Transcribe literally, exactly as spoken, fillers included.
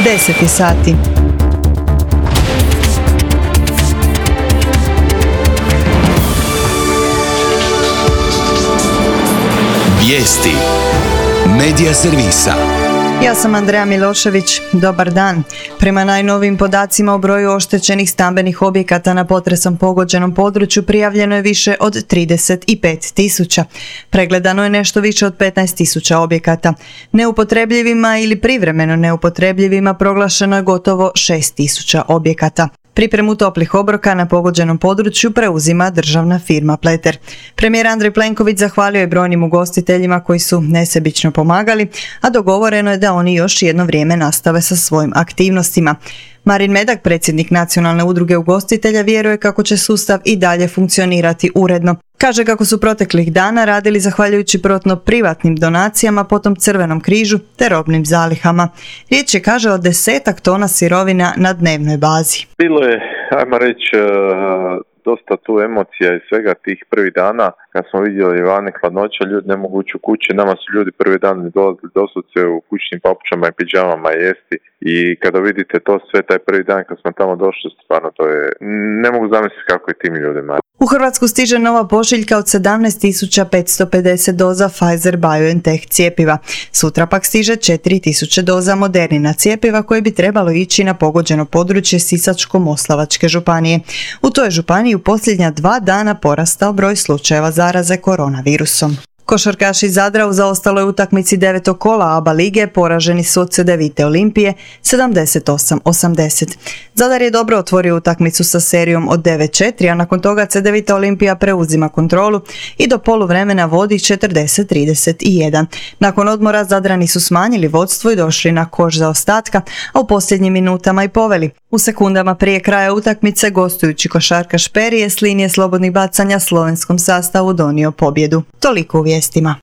deset sati. Vijesti Medija servisa. Ja sam Andreja Milošević. Dobar dan. Prema najnovijim podacima o broju oštećenih stambenih objekata na potresom pogođenom području prijavljeno je više od trideset pet tisuća. Pregledano je nešto više od petnaest tisuća objekata. Neupotrebljivima ili privremeno neupotrebljivima proglašeno je gotovo šest tisuća objekata. Pripremu toplih obroka na pogođenom području preuzima državna firma Pleter. Premijer Andrej Plenković zahvalio je brojnim ugostiteljima koji su nesebično pomagali, a dogovoreno je da oni još jedno vrijeme nastave sa svojim aktivnostima. Marin Medak, predsjednik Nacionalne udruge ugostitelja, vjeruje kako će sustav i dalje funkcionirati uredno. Kaže kako su proteklih dana radili zahvaljujući prvotno privatnim donacijama, potom Crvenom križu te robnim zalihama. Riječ je, kaže, o desetak tona sirovina na dnevnoj bazi. Bilo je, ajmo reći, dosta tu emocija i svega tih prvih dana kad smo vidjeli vani hladnoća, ljudi ne mogu ući u kuće, nama su ljudi prvi dan dolazili doslovce u kućnim papučama i pidžamama jesti i kada vidite to sve taj prvi dan kad smo tamo došli, stvarno to je, ne mogu zamisliti kako je tim ljudima. U Hrvatsku stiže nova pošiljka od sedamnaest tisuća petsto pedeset doza Pfizer-BioNTech cijepiva. Sutra pak stiže četiri tisuće doza Modernina cijepiva koje bi trebalo ići na pogođeno područje Sisačko-moslavačke županije. U toj županiji u posljednja dva dana porastao broj slučajeva zaraze koronavirusom. Košarkaši Zadra u zaostaloj utakmici devetog kola ABA lige poraženi su od Cedevite Olimpije sedamdeset osam osamdeset. Zadar je dobro otvorio utakmicu sa serijom od devet četiri, a nakon toga Cedevita Olimpija preuzima kontrolu i do poluvremena vodi četrdeset trideset jedan. Nakon odmora Zadrani su smanjili vodstvo i došli na koš zaostatka, a u posljednjim minutama i poveli. U sekundama prije kraja utakmice gostujući košarkaš Perije s linije slobodnih bacanja slovenskom sastavu donio pobjedu. Toliko u vijestima.